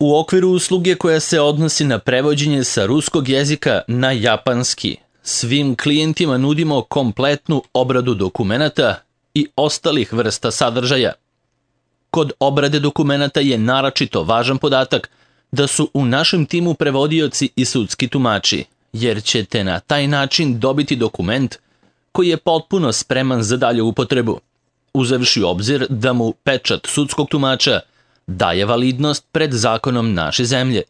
U okviru usluge koja se odnosi na prevođenje sa ruskog jezika na japanski, svim klijentima nudimo kompletnu obradu dokumenata i ostalih vrsta sadržaja. Kod obrade dokumenata je naročito važan podatak da su u našem timu prevodioci i sudski tumači, jer ćete na taj način dobiti dokument koji je potpuno spreman za dalju upotrebu, uzevši u obzir da mu pečat sudskog tumača daje validnost pred zakonom naše zemlje.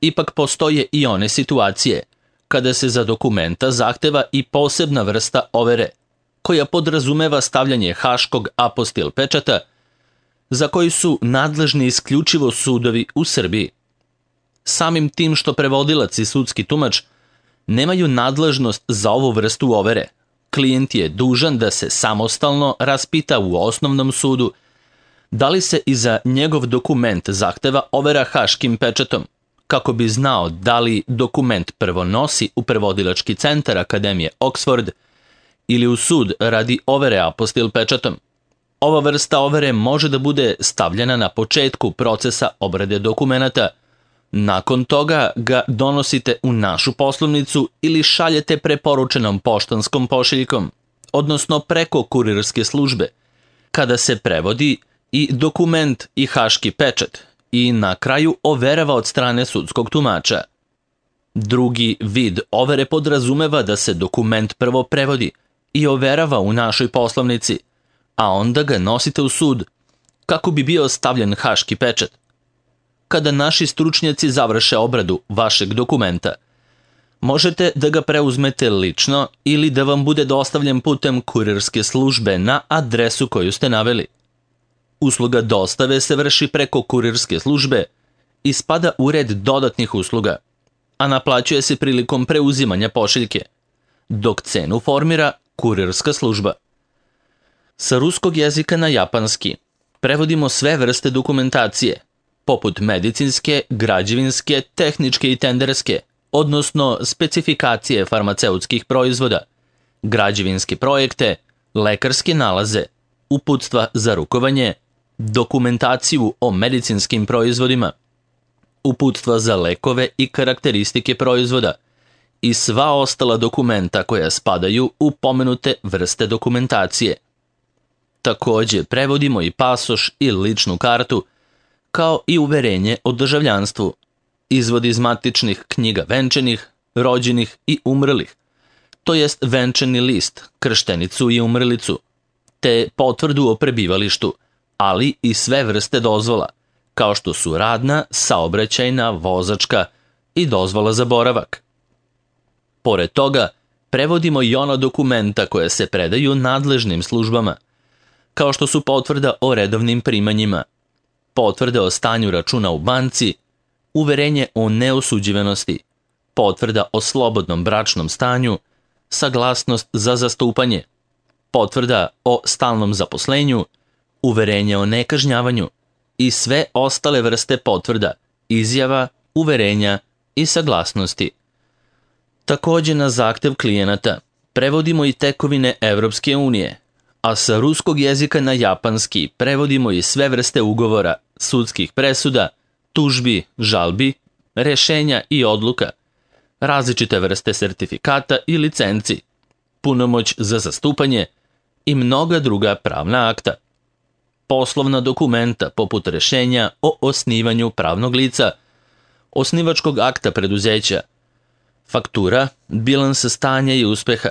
Ipak postoje i one situacije kada se za dokumenta zahteva i posebna vrsta overe, koja podrazumeva stavljanje haškog apostil pečata, za koji su nadležni isključivo sudovi u Srbiji. Samim tim što prevodilac i sudski tumač nemaju nadležnost za ovu vrstu overe, klijent je dužan da se samostalno raspita u osnovnom sudu da li se i za njegov dokument zahteva overa haškim pečatom, kako bi znao da li dokument prvo nosi u prevodilački centar Akademije Oxford ili u sud radi overe apostil pečatom. Ova vrsta overe može da bude stavljena na početku procesa obrade dokumenata. Nakon toga ga donosite u našu poslovnicu ili šaljete preporučenom poštanskom pošiljkom, odnosno preko kurirske službe, kada se prevodi i dokument i haški pečat i na kraju overava od strane sudskog tumača. Drugi vid overe podrazumeva da se dokument prvo prevodi i overava u našoj poslovnici, a onda ga nosite u sud kako bi bio stavljen haški pečat. Kada naši stručnjaci završe obradu vašeg dokumenta, možete da ga preuzmete lično ili da vam bude dostavljen putem kurirske službe na adresu koju ste naveli. Usluga dostave se vrši preko kurirske službe i spada u red dodatnih usluga, a naplaćuje se prilikom preuzimanja pošiljke, dok cenu formira kurirska služba. Sa ruskog jezika na japanski prevodimo sve vrste dokumentacije, poput medicinske, građevinske, tehničke i tenderske, odnosno specifikacije farmaceutskih proizvoda, građevinske projekte, lekarske nalaze, uputstva za rukovanje, dokumentaciju o medicinskim proizvodima, uputstva za lekove i karakteristike proizvoda i sva ostala dokumenta koja spadaju u pomenute vrste dokumentacije. Takođe, prevodimo i pasoš i ličnu kartu, kao i uverenje o državljanstvu, izvod iz matičnih knjiga venčanih, rođenih i umrlih, to jest venčani list, krštenicu i umrlicu, te potvrdu o prebivalištu, ali i sve vrste dozvola, kao što su radna, saobraćajna, vozačka i dozvola za boravak. Pored toga, prevodimo i ona dokumenta koja se predaju nadležnim službama, kao što su potvrda o redovnim primanjima, potvrda o stanju računa u banci, uverenje o neosuđivanosti, potvrda o slobodnom bračnom stanju, saglasnost za zastupanje, potvrda o stalnom zaposlenju, uverenje o nekažnjavanju i sve ostale vrste potvrda, izjava, uverenja i saglasnosti. Takođe, na zahtev klijenata prevodimo i tekovine Evropske unije, a sa ruskog jezika na japanski prevodimo i sve vrste ugovora, sudskih presuda, tužbi, žalbi, rešenja i odluka, različite vrste sertifikata i licenci, punomoć za zastupanje i mnoga druga pravna akta. Poslovna dokumenta poput rešenja o osnivanju pravnog lica, osnivačkog akta preduzeća, faktura, bilansa stanja i uspeha,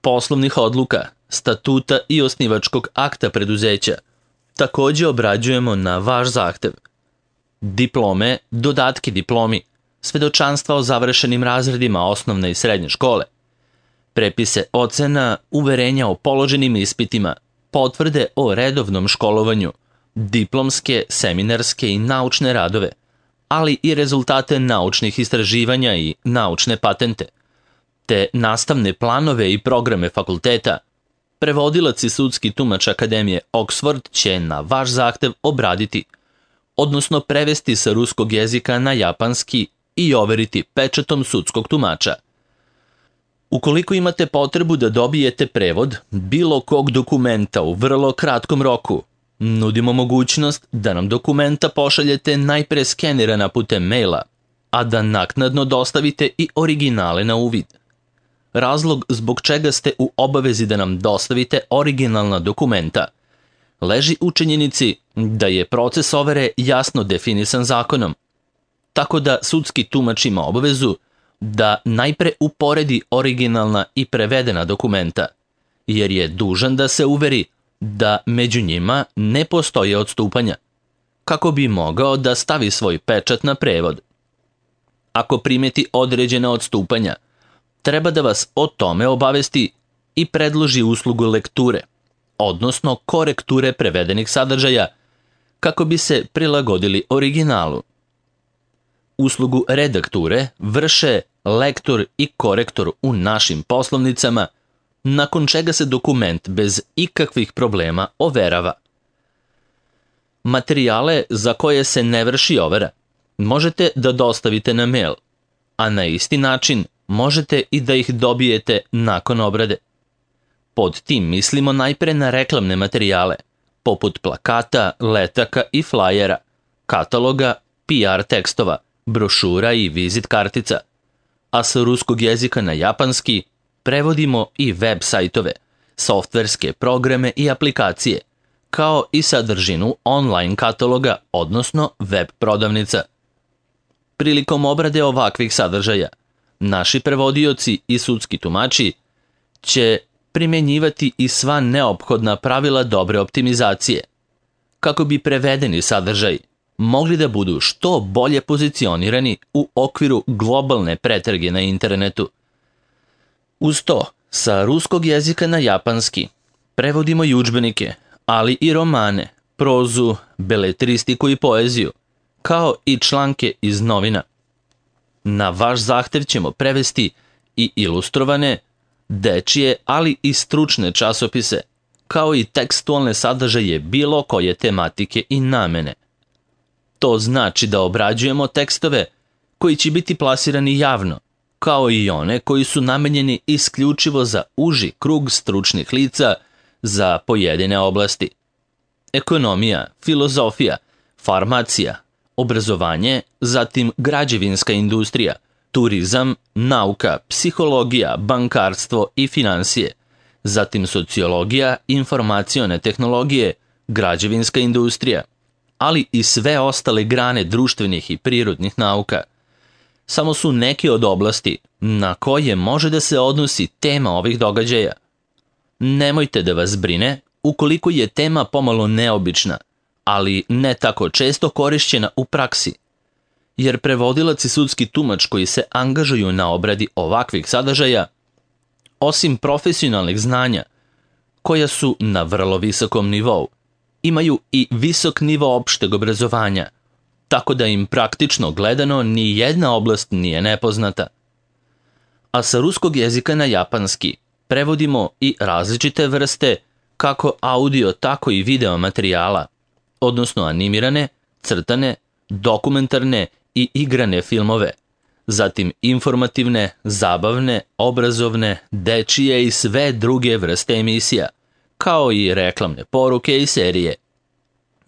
poslovnih odluka, statuta i osnivačkog akta preduzeća, takođe obrađujemo na vaš zahtev. Diplome, dodatki diplomi, svedočanstva o završenim razredima osnovne i srednje škole, prepise ocena, uverenja o položenim ispitima, potvrde o redovnom školovanju, diplomske, seminarske i naučne radove, ali i rezultate naučnih istraživanja i naučne patente, te nastavne planove i programe fakulteta. Prevodilac i sudski tumač Akademije Oxford će na vaš zahtev obraditi, odnosno prevesti sa ruskog jezika na japanski i overiti pečatom sudskog tumača. Ukoliko imate potrebu da dobijete prevod bilo kog dokumenta u vrlo kratkom roku, Nudimo mogućnost da nam dokumenta pošaljete najpre skenirana putem maila, a da naknadno dostavite i originale na uvid. Razlog zbog čega ste u obavezi da nam dostavite originalna dokumenta leži u činjenici da je proces overe jasno definisan zakonom, tako da sudski tumač ima obavezu da najpre uporedi originalna i prevedena dokumenta, jer je dužan da se uveri da među njima ne postoje odstupanja, kako bi mogao da stavi svoj pečat na prevod. Ako primeti određena odstupanja, treba da vas o tome obavesti i predloži uslugu lekture, odnosno korekture prevedenih sadržaja, kako bi se prilagodili originalu. Uslugu redakture vrše lektor i korektor u našim poslovnicama, nakon čega se dokument bez ikakvih problema overava. Materijale za koje se ne vrši overa možete da dostavite na mail, a na isti način možete i da ih dobijete nakon obrade. Pod tim mislimo najpre na reklamne materijale, poput plakata, letaka i flajera, kataloga, PR tekstova, brošura i vizit kartica, a sa ruskog jezika na japanski prevodimo i web sajtove, softverske programe i aplikacije, kao i sadržinu online kataloga, odnosno web prodavnica. Prilikom obrade ovakvih sadržaja, naši prevodioci i sudski tumači će primjenjivati i sva neophodna pravila dobre optimizacije, kako bi prevedeni sadržaj mogli da budu što bolje pozicionirani u okviru globalne pretrage na internetu. Uz to, sa ruskog jezika na japanski prevodimo i udžbenike, ali i romane, prozu, beletristiku i poeziju, kao i članke iz novina. Na vaš zahtev ćemo prevesti i ilustrovane, dečije, ali i stručne časopise, kao i tekstualne sadržaje bilo koje tematike i namene. To znači da obrađujemo tekstove koji će biti plasirani javno, kao i one koji su namenjeni isključivo za uži krug stručnih lica za pojedine oblasti. Ekonomija, filozofija, farmacija, obrazovanje, zatim građevinska industrija, turizam, nauka, psihologija, bankarstvo i finansije, zatim sociologija, informacione tehnologije, građevinska industrija, ali i sve ostale grane društvenih i prirodnih nauka. Samo su neke od oblasti na koje može da se odnosi tema ovih događaja. Nemojte da vas brine ukoliko je tema pomalo neobična, ali ne tako često korišćena u praksi, jer prevodilac i sudski tumač koji se angažuju na obradi ovakvih sadržaja, osim profesionalnih znanja, koja su na vrlo visokom nivou, imaju i visok nivo opšteg obrazovanja, tako da im praktično gledano ni jedna oblast nije nepoznata. A sa ruskog jezika na japanski prevodimo i različite vrste kako audio, tako i video materijala, odnosno animirane, crtane, dokumentarne i igrane filmove, zatim informativne, zabavne, obrazovne, dečije i sve druge vrste emisija, kao i reklamne poruke i serije.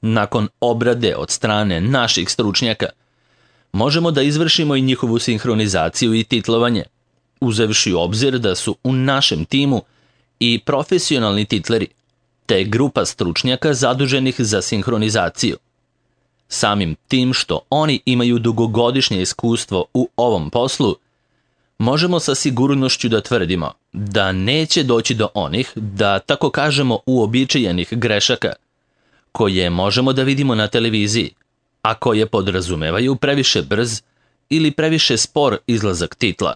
Nakon obrade od strane naših stručnjaka, možemo da izvršimo i njihovu sinhronizaciju i titlovanje, uzevši u obzir da su u našem timu i profesionalni titleri, te grupa stručnjaka zaduženih za sinhronizaciju. Samim tim što oni imaju dugogodišnje iskustvo u ovom poslu, možemo sa sigurnošću da tvrdimo da neće doći do onih, da tako kažemo, uobičajenih grešaka, koje možemo da vidimo na televiziji, a koje podrazumevaju previše brz ili previše spor izlazak titla.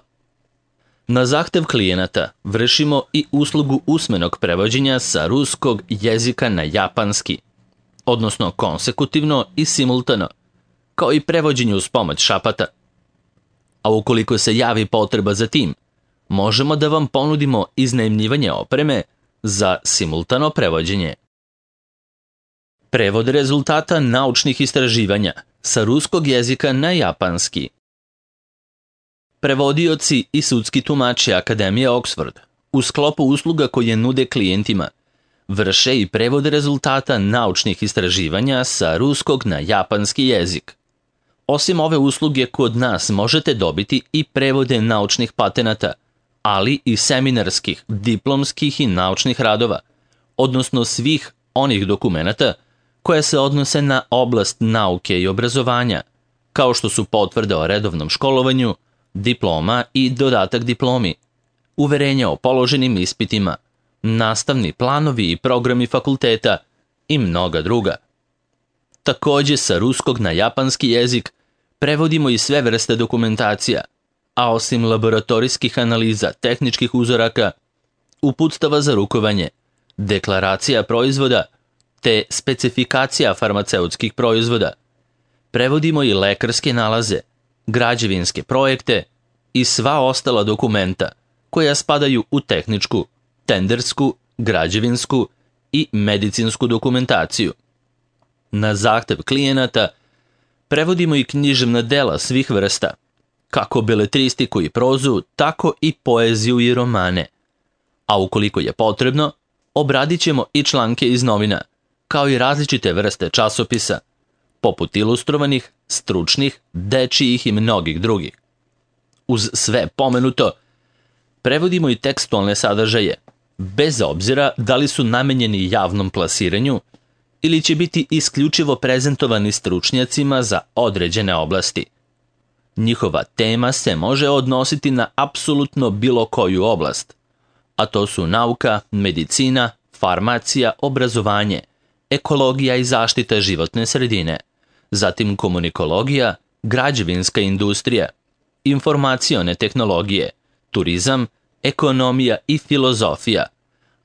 Na zahtev klijenata vršimo i uslugu usmenog prevođenja sa ruskog jezika na japanski, odnosno konsekutivno i simultano, kao i prevođenje uz pomoć šapata. A ukoliko se javi potreba za tim, možemo da vam ponudimo iznajmljivanje opreme za simultano prevođenje. Prevod rezultata naučnih istraživanja sa ruskog jezika na japanski. Prevodioci i sudski tumači Akademije Oxford u sklopu usluga koje nude klijentima vrše i prevod rezultata naučnih istraživanja sa ruskog na japanski jezik. Osim ove usluge, kod nas možete dobiti i prevode naučnih patenata, ali i seminarskih, diplomskih i naučnih radova, odnosno svih onih dokumenata koje se odnose na oblast nauke i obrazovanja, kao što su potvrde o redovnom školovanju, diploma i dodatak diplomi, uverenja o položenim ispitima, nastavni planovi i programi fakulteta i mnoga druga. Takođe, sa ruskog na japanski jezik prevodimo i sve vrste dokumentacija, a osim laboratorijskih analiza tehničkih uzoraka, uputstava za rukovanje, deklaracija proizvoda te specifikacija farmaceutskih proizvoda, prevodimo i lekarske nalaze, građevinske projekte i sva ostala dokumenta koja spadaju u tehničku, tendersku, građevinsku i medicinsku dokumentaciju. Na zahtev klijenata prevodimo i književna dela svih vrsta, kako beletristiku i prozu, tako i poeziju i romane. A ukoliko je potrebno, obradit ćemo i članke iz novina, kao i različite vrste časopisa, poput ilustrovanih, stručnih, dečijih i mnogih drugih. Uz sve pomenuto, prevodimo i tekstualne sadržaje, bez obzira da li su namenjeni javnom plasiranju ili će biti isključivo prezentovani stručnjacima za određene oblasti. Njihova tema se može odnositi na apsolutno bilo koju oblast, a to su nauka, medicina, farmacija, obrazovanje, ekologija i zaštita životne sredine, zatim komunikologija, građevinska industrija, informacione tehnologije, turizam, ekonomija i filozofija,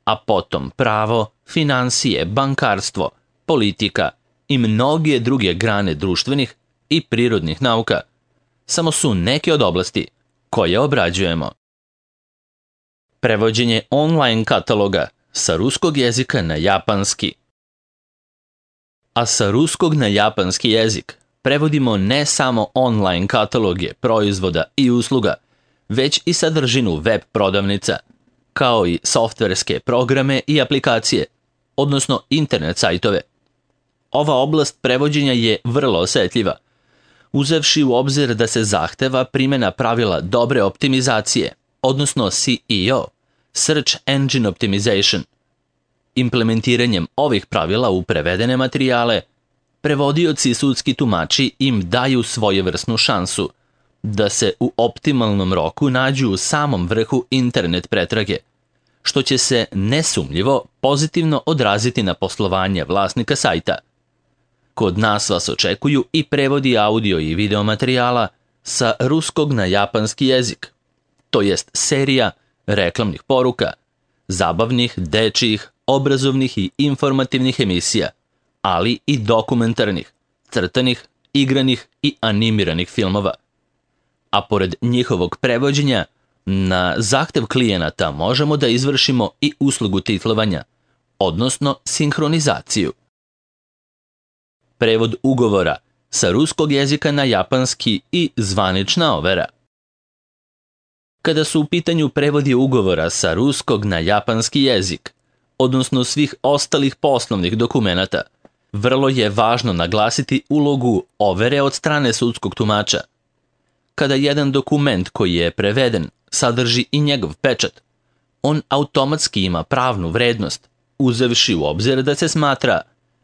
a potom pravo, finansije, bankarstvo, politika i mnoge druge grane društvenih i prirodnih nauka, samo su neke od oblasti koje obrađujemo. Prevođenje online kataloga sa ruskog jezika na japanski. A sa ruskog na japanski jezik prevodimo ne samo online kataloge proizvoda i usluga, već i sadržinu web prodavnica, kao i softverske programe i aplikacije, odnosno internet sajtove. Ova oblast prevođenja je vrlo osetljiva, uzevši u obzir da se zahteva primjena pravila dobre optimizacije, odnosno SEO, Search Engine Optimization. Implementiranjem ovih pravila u prevedene materijale, prevodioci i sudski tumači im daju svojevrsnu šansu da se u optimalnom roku nađu u samom vrhu internet pretrage, što će se nesumnjivo pozitivno odraziti na poslovanje vlasnika sajta. Kod nas vas očekuju i prevodi audio i video materijala sa ruskog na japanski jezik, to jest serija reklamnih poruka, zabavnih, dečijih, obrazovnih i informativnih emisija, ali i dokumentarnih, crtanih, igranih i animiranih filmova. A pored njihovog prevođenja, na zahtev klijenata možemo da izvršimo i uslugu titlovanja, odnosno sinhronizaciju. Prevod ugovora sa ruskog jezika na japanski i zvanična overa. Kada su u pitanju prevodi ugovora sa ruskog na japanski jezik, odnosno svih ostalih poslovnih dokumenata, vrlo je važno naglasiti ulogu overe od strane sudskog tumača. Kada jedan dokument koji je preveden sadrži i njegov pečat, on automatski ima pravnu vrednost, uzevši u obzir da se smatra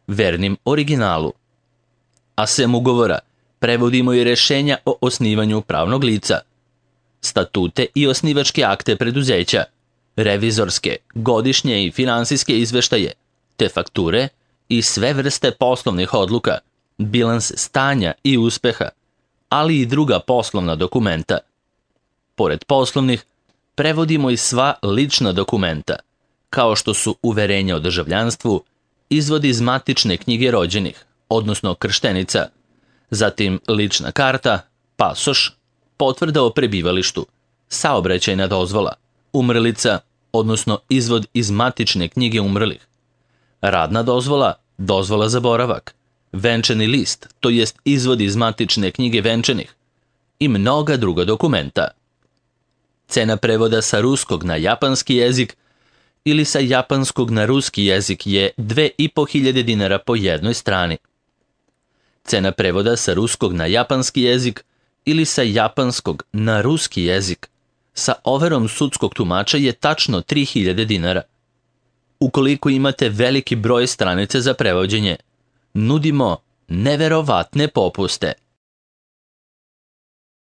vernim originalu. A sem ugovora prevodimo i rešenja o osnivanju pravnog lica, statute i osnivačke akte preduzeća, revizorske, godišnje i finansijske izveštaje, te fakture i sve vrste poslovnih odluka, bilans stanja i uspeha, ali i druga poslovna dokumenta. Pored poslovnih, prevodimo i sva lična dokumenta, kao što su uverenja o državljanstvu, izvod iz matične knjige rođenih, odnosno krštenica, zatim lična karta, pasoš, potvrda o prebivalištu, saobraćajna dozvola, umrlica, odnosno izvod iz matične knjige umrlih, radna dozvola, dozvola za boravak, venčani list, to jest izvod iz matične knjige venčanih i mnoga druga dokumenta. Cena prevoda sa ruskog na japanski jezik ili sa japanskog na ruski jezik je 2500 dinara po jednoj strani. Cena prevoda sa ruskog na japanski jezik ili sa japanskog na ruski jezik sa overom sudskog tumača je tačno 3000 dinara. Ukoliko imate veliki broj stranice za prevođenje, nudimo neverovatne popuste.